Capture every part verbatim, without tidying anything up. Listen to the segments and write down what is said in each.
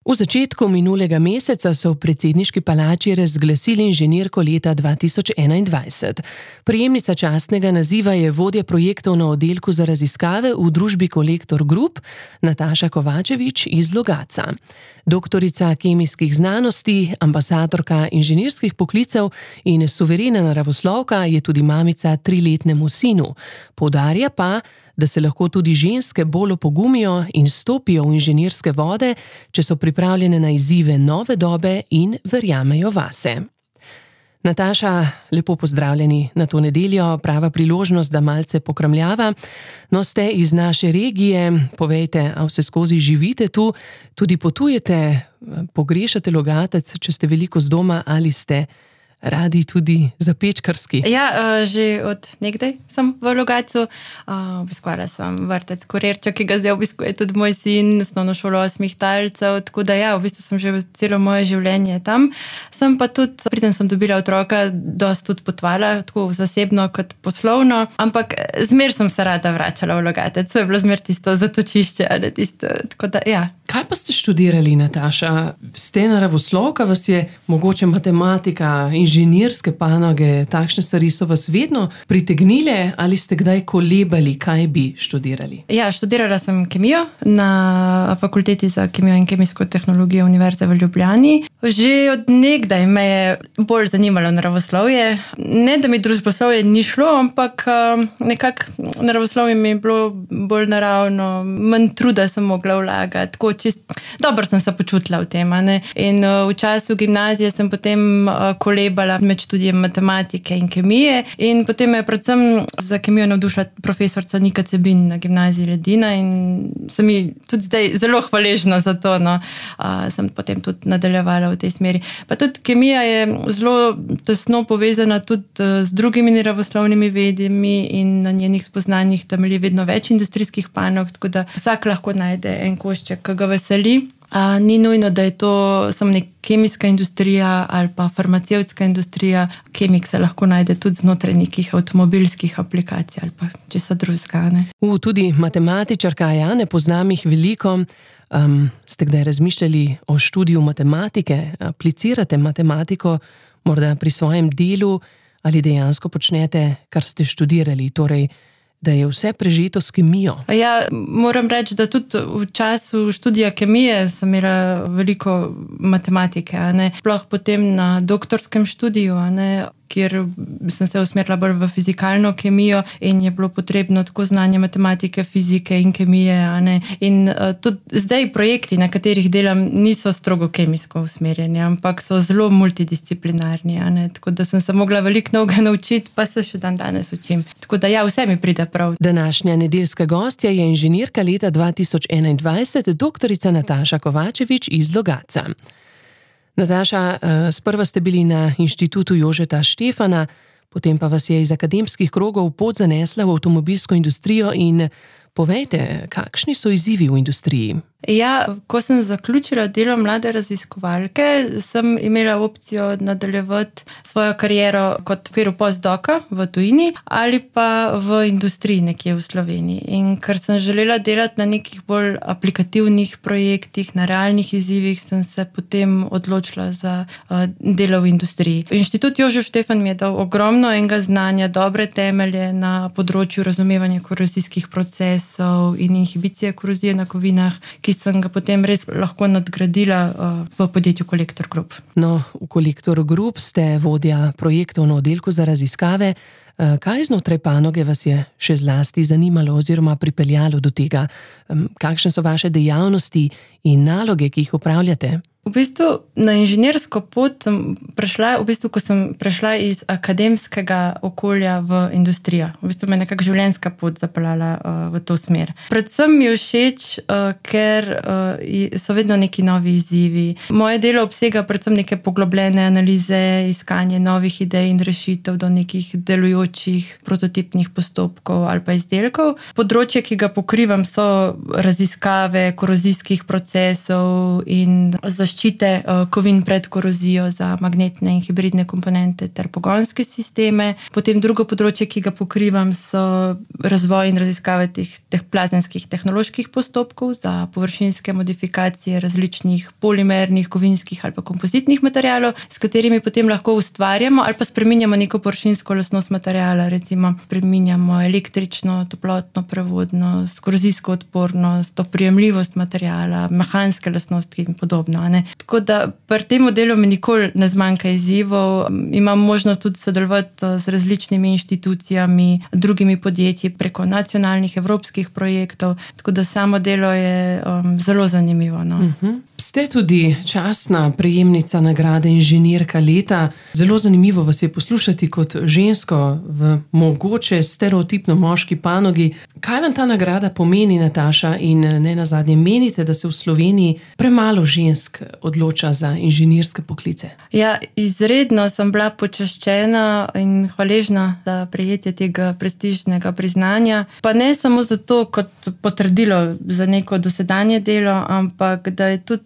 V začetku minulega meseca so v predsedniški palači razglasili inženirko leta dva tisoč enaindvajset. Prejemnica častnega naziva je vodja projektov na oddelku za raziskave v družbi Kolektor Group, Nataša Kovačevič iz Logatca. Doktorica kemijskih znanosti, ambasadorka inženirskih poklicev in suverena naravoslovka je tudi mamica triletnemu sinu. Poudarja pa, da se lahko tudi ženske bolj opogumijo in stopijo v inženirske vode, če so pripravljene na izzive nove dobe in verjamejo vase. Nataša, lepo pozdravljeni na to nedeljo, prava priložnost, da malce pokramljava. No, ste iz naše regije, povejte, a vse skozi živite tu, tudi potujete, pogrešate Logatec, če ste veliko z doma ali ste radi tudi zapečkarski? Ja, že od nekdaj sem v Logatcu. Obiskovala sem vrtec Korerča, ki ga zdaj obiskuje tudi moj sin, osnovno šolo osmih talcev, tako da ja, v bistvu sem že celo moje življenje tam. Sem pa tudi, preden sem dobila otroka, dosti tudi potovala, tako zasebno kot poslovno, ampak zmer sem se rada vračala v Logatec, to je bilo zmer tisto zatočišče, ali tisto, tako da ja. Kaj pa ste študirali, Nataša? Ste naravoslovka, vas je mogoče matematika, inženirske panoge, takšne stvari so vas vedno pritegnile ali ste kdaj kolebali, kaj bi študirali? Ja, študirala sem kemijo na fakulteti za kemijo in kemijsko tehnologijo Univerze v Ljubljani. Že od nekdaj me je bolj zanimalo naravoslovje. Ne, da mi družboslovje ni šlo, ampak nekako naravoslovje mi je bilo bolj naravno, manj truda sem mogla vlagati, tako čist, dobro sem se počutila v tem. Ne? In v času gimnazije sem potem kolebala med študijem matematike in kemije in potem me je predvsem za kemijo navdušila profesorca Nika Cebin na gimnaziji Ledina in sem mi tudi zdaj zelo hvaležna za to. No. Uh, sem potem tudi nadaljevala v tej smeri. Pa tudi kemija je zelo tesno povezana tudi z drugimi naravoslovnimi vedami in na njenih spoznanjih temelji vedno več industrijskih panog, tako da vsak lahko najde en košček, ki ga veseli. A, ni nujno, da je to samo nek kemijska industrija ali pa farmacevtska industrija. Kemik se lahko najde tudi znotraj nekih avtomobilskih aplikacij ali pa česa drugega. U, tudi matematičarka, ja, ne poznam jih veliko. Um, ste kdaj razmišljali o študiju matematike? Aplicirate matematiko morda pri svojem delu ali dejansko počnete, kar ste študirali, torej da je vse prežeto s kemijo? Ja, moram reči, da tudi v času študija kemije sem imela veliko matematike, a ne? Sploh potem na doktorskem študiju, a ne? Kjer sem se usmerila bolj v fizikalno kemijo in je bilo potrebno tako znanje matematike, fizike in kemije. A ne? In uh, tudi zdaj projekti, na katerih delam, niso strogo kemijsko usmerjeni, ampak so zelo multidisciplinarni. A ne? Tako da sem se mogla veliko novega naučiti, pa se še dan danes učim. Tako da ja, vse mi pride prav. Današnja nedeljska gostja je inženirka leta dva tisoč enaindvajset, doktorica Nataša Kovačevič iz Logatca. Nataša, sprva ste bili na Inštitutu Jožeta Štefana, potem pa vas je iz akademskih krogov pot zanesla v avtomobilsko industrijo in povejte, kakšni so izzivi v industriji? Ja, ko sem zaključila delo mlade raziskovalke, sem imela opcijo nadaljevati svojo kariero kot v okviru postdoka v tujini ali pa v industriji nekje v Sloveniji. In ker sem želela delati na nekih bolj aplikativnih projektih, na realnih izzivih, sem se potem odločila za uh, delo v industriji. Inštitut Jožef Štefan mi je dal ogromno enega znanja, dobre temelje na področju razumevanja korozijskih procesov in inhibicije korozije na kovinah, ki sem ga potem res lahko nadgradila uh, v podjetju Kolektor Group. No, v Kolektor Group ste vodja projektov na oddelku za raziskave. Uh, kaj znotraj panoge vas je še zlasti zanimalo oziroma pripeljalo do tega? Um, kakšne so vaše dejavnosti in naloge, ki jih upravljate? V bistvu na inženirsko pot sem prešla, v bistvu, ko sem prešla iz akademskega okolja v industrijo. V bistvu me je nekako življenjska pot zapeljala uh, v to smer. Predvsem mi je všeč, uh, ker uh, so vedno neki novi izzivi. Moje delo obsega predvsem neke poglobljene analize, iskanje novih idej in rešitev do nekih delujočih prototipnih postopkov ali pa izdelkov. Področje, ki ga pokrivam, so raziskave korozijskih procesov in zaščite zaščite kovin pred korozijo za magnetne in hibridne komponente ter pogonske sisteme. Potem drugo področje, ki ga pokrivam, so razvoj in raziskave teh, teh plazenskih tehnoloških postopkov za površinske modifikacije različnih polimernih, kovinskih ali pa kompozitnih materialov, s katerimi potem lahko ustvarjamo ali pa spreminjamo neko površinsko lastnost materiala, recimo spreminjamo električno, toplotno prevodnost, korozijsko odpornost, oprijemljivost materiala, mehanske lastnosti in podobno. Ne? Tako da pri tem modelu mi nikoli ne zmanjka izzivov. Imam možnost tudi sodelovati z različnimi inštitucijami, drugimi podjetji preko nacionalnih, evropskih projektov, tako da samo delo je um, zelo zanimivo. No? Uh-huh. Ste tudi častna prejemnica nagrade Inženirka leta. Zelo zanimivo vas je poslušati kot žensko v mogoče stereotipno moški panogi. Kaj vam ta nagrada pomeni, Nataša, in ne nazadnje menite, da se v Sloveniji premalo žensk odloča za inženirske poklice? Ja, izredno sem bila počaščena in hvaležna za prejetje tega prestižnega priznanja. Pa ne samo zato kot potrdilo za neko dosedanje delo, ampak da je tudi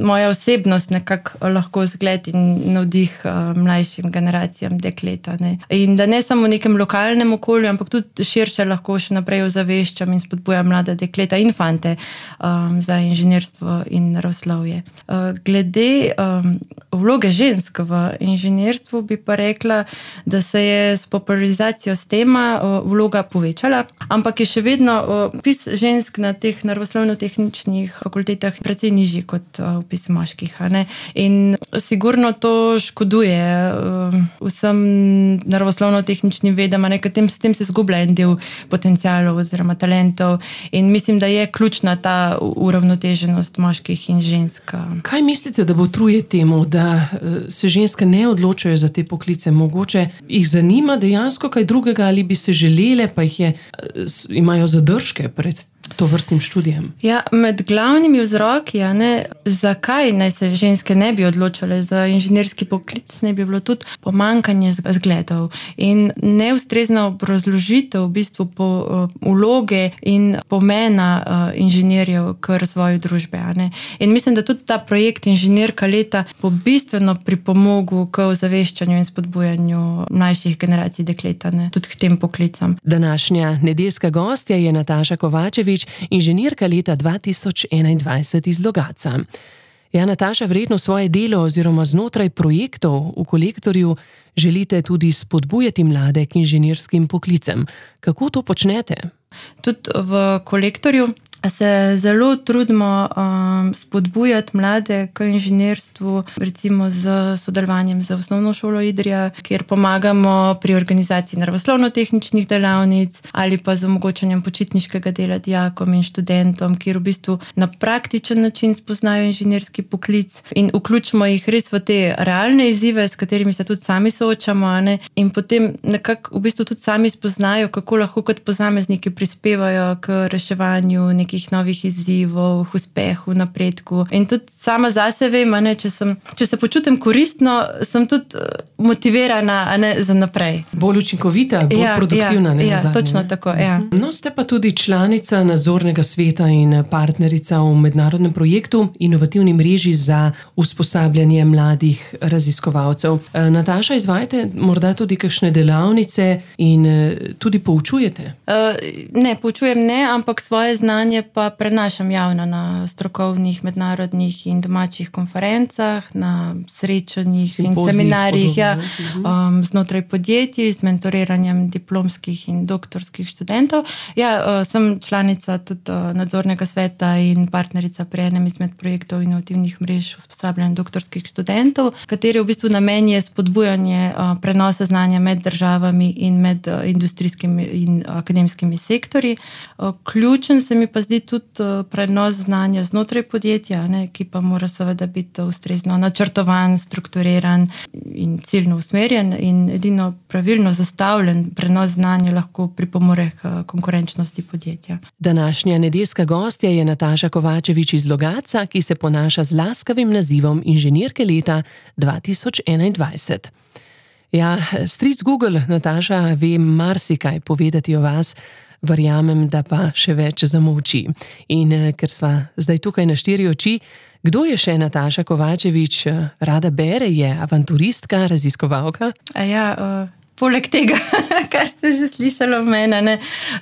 moja osebnost nekako lahko zgled in navdih mlajšim generacijam dekleta. Ne. In da ne samo v nekem lokalnem okolju, ampak tudi širše lahko še naprej ozaveščam in spodbujam mlade dekleta in fante um, za inženirstvo in naravoslovje. Uh, glede um, vloge žensk v inženirstvu bi pa rekla, da se je s popularizacijo S T E M-a uh, vloga povečala, ampak je še vedno uh, vpis žensk na teh naravoslovno-tehničnih fakultetah precej nižji kot vpis moških. Ne? In sigurno to škoduje uh, vsem naravoslovno-tehničnim vedam, tem, s tem se zgublja en del potencialov oziroma talentov in mislim, da je ključna ta uravnoteženost moških in žensk. Kaj mislite, da botruje temu, da se ženske ne odločajo za te poklice? Mogoče jih zanima dejansko kaj drugega ali bi se želele, pa jih je, imajo zadržke pred to vrstnim študijem? Ja, med glavnimi vzroki, ja, ne, zakaj naj se ženske ne bi odločale za inženirski poklic, ne bi bilo tudi pomanjkanje zgledov in neustrezna obrazložitev v bistvu po uh, vloge in pomena uh, inženirjev k razvoju družbe. Ne. In mislim, da tudi ta projekt Inženirka leta bo bistveno pripomogel k ozaveščanju in spodbujanju mlajših generacij dekleta, ne, tudi k tem poklicam. Današnja nedeljska gostja je Nataša Kovačevič, Inženirka leta dva tisoč enaindvajset iz Logatca. Ja, Nataša, verjetno svoje delo oziroma znotraj projektov v Kolektorju želite tudi spodbujati mlade k inženirskim poklicem. Kako to počnete? Tudi v Kolektorju se zelo trudimo um, spodbujati mlade k inženirstvu, recimo z sodelovanjem z Osnovno šolo Idrija, kjer pomagamo pri organizaciji naravoslovno-tehničnih delavnic ali pa z omogočanjem počitniškega dela dijakom in študentom, kjer v bistvu na praktičen način spoznajo inženirski poklic in vključimo jih res v te realne izzive, s katerimi se tudi sami soočamo, ne? In potem nekako v bistvu tudi sami spoznajo, kako lahko kot posamezniki prispevajo k reševanju nekih novih izzivov, uspehu, napredku. In tudi sama zase vem, ne, če, sem, če se počutim koristno, sem tudi motivirana, a ne, za naprej. Bolj učinkovita, bolj ja, produktivna. Ja, ne, ja zadnje, točno ne? tako. Ja. No, ste pa tudi članica nadzornega sveta in partnerica v mednarodnem projektu Inovativni mreži za usposabljanje mladih raziskovalcev. Nataša, izvajate morda tudi kakšne delavnice in tudi poučujete? Uh, ne, poučujem ne, ampak svoje znanje pa prenašam javno na strokovnih, mednarodnih in domačih konferencah, na srečanjih Simpozij, in seminarjih ja, um, znotraj podjetij z mentoriranjem diplomskih in doktorskih študentov. Ja, uh, sem članica tudi uh, nadzornega sveta in partnerica pri enem izmed projektov inovativnih mrež usposabljanja doktorskih študentov, kateri v bistvu namen je spodbujanje uh, prenosa znanja med državami in med uh, industrijskimi in akademskimi sektorji. Uh, ključen se mi pa zdi tudi prenos znanja znotraj podjetja, ne, ki pa mora seveda biti ustrezno načrtovan, strukturiran in ciljno usmerjen in edino pravilno zastavljen prenos znanja lahko pripomore k konkurenčnosti podjetja. Današnja nedeljska gostja je Nataša Kovačevič iz Logatca, ki se ponaša z laskavim nazivom Inženirke leta dva tisoč enaindvajset. Ja, stric Google, Nataša, ve marsikaj povedati o vas. Verjamem, da pa še več zamolči. In ker sva zdaj tukaj na štiri oči, kdo je še Nataša Kovačevič? Rada bere, je avanturistka, raziskovalka? A ja, uh... Poleg tega, kar ste že slišali o mene, ne,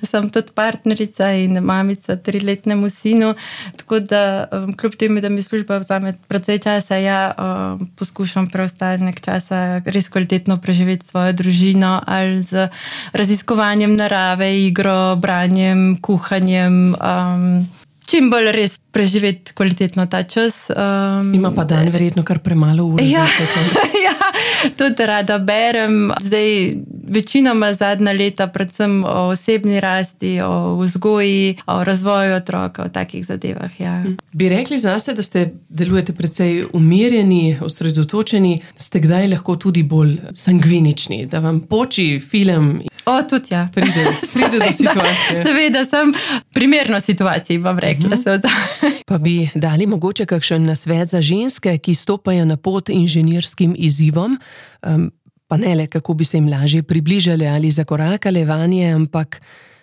sem tudi partnerica in mamica triletnemu sinu, tako da um, kljub temu, da mi služba vzame precej časa, ja um, poskušam preostanek časa res kvalitetno preživeti svojo družino ali z raziskovanjem narave, igro, branjem, kuhanjem, um, čim bolj res preživeti kvalitetno ta čas. Um, Ima pa dan verjetno kar premalo ur. Ja, ja, tudi rada berem. Zdaj večinoma zadnja leta predvsem o osebni rasti, o vzgoji, o razvoju otroka, o takih zadevah. Ja. Bi rekli zase, da ste delujete precej umirjeni, osredotočeni, ste kdaj lahko tudi bolj sangvinični, da vam poči film? O, tudi ja. Pride, pride do situacije. Seveda, sem primerno situaciji, bom rekla. Uh-huh. Pa bi dali mogoče kakšen nasvet za ženske, ki stopajo na pot inženirskim izzivom, um, pa ne le, kako bi se jim lažje približali ali zakorakale vanje, ampak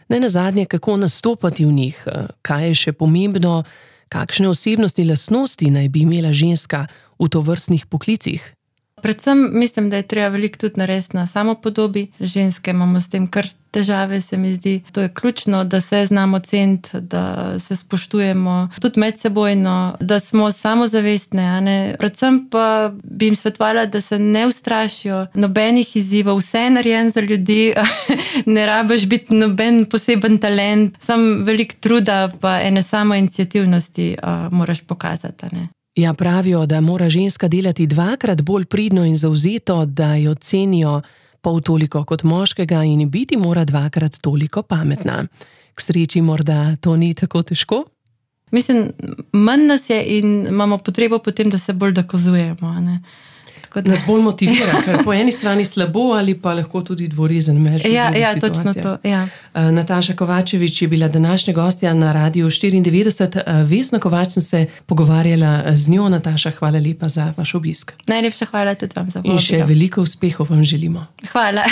ne nazadnje, kako nastopati v njih, kaj je še pomembno, kakšne osebnosti, lastnosti naj bi imela ženska v tovrstnih poklicih. Predvsem mislim, da je treba veliko tudi narediti na samopodobi. Ženske imamo s tem kar težave, se mi zdi. To je ključno, da se znamo ceniti, da se spoštujemo tudi medsebojno, da smo samozavestne. A ne? Predvsem pa bi jim svetovala, da se ne ustrašijo nobenih izzivov, vse je narejen za ljudi, ne rabiš biti noben poseben talent, samo veliko truda pa ene samoiniciativnosti uh, moraš pokazati. A ne? Ja, pravijo, da mora ženska delati dvakrat bolj pridno in zavzeto, da jo cenijo pol toliko kot moškega in biti mora dvakrat toliko pametna. K sreči morda to ni tako težko? Mislim, manj nas je in imamo potrebo potem, da se bolj dokazujemo. Ne? Da... Nas bolj motivira, ker po eni strani slabo ali pa lahko tudi dvorezen meč. Ja, ja točno to. Ja. Nataša Kovačevič je bila današnja gostja na Radiu štiriindevetdeset. Vesna Kovač sem se pogovarjala z njo. Nataša, hvala lepa za vaš obisk. Najlepša hvala tudi vam za povabilo. In še veliko uspehov vam želimo. Hvala.